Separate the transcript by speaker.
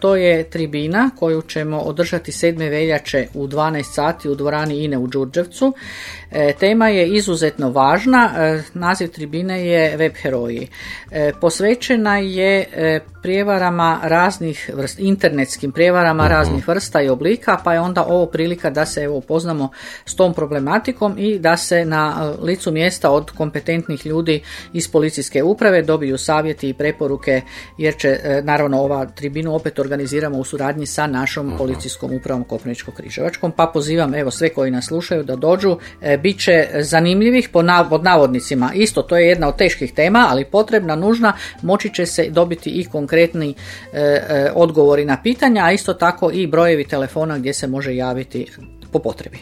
Speaker 1: to je tribina koju ćemo održati 7. veljače u 12 sati u dvorani INE u Đurđevcu. Tema je izuzetno važna, naziv tribine je Web heroji. Posvećena je prijevarama raznih vrsta, internetskim prijevarama raznih vrsta i oblika, pa je onda ovo prilika da se upoznamo s tom problematikom i da se na licu mjesta od kompetentnih ljudi iz policijske uprave dobiju savjeti i preporuke, jer će naravno ova tribinu opet organiziramo u suradnji sa našom policijskom upravom Koprivničko-križevačkom, pa pozivam sve koji nas slušaju da dođu. Bit će zanimljivih pod navodnicima. Isto, to je jedna od teških tema, ali potrebna, nužna, moći će se dobiti i konkretni odgovori na pitanja, a isto tako i brojevi telefona gdje se može javiti po potrebi.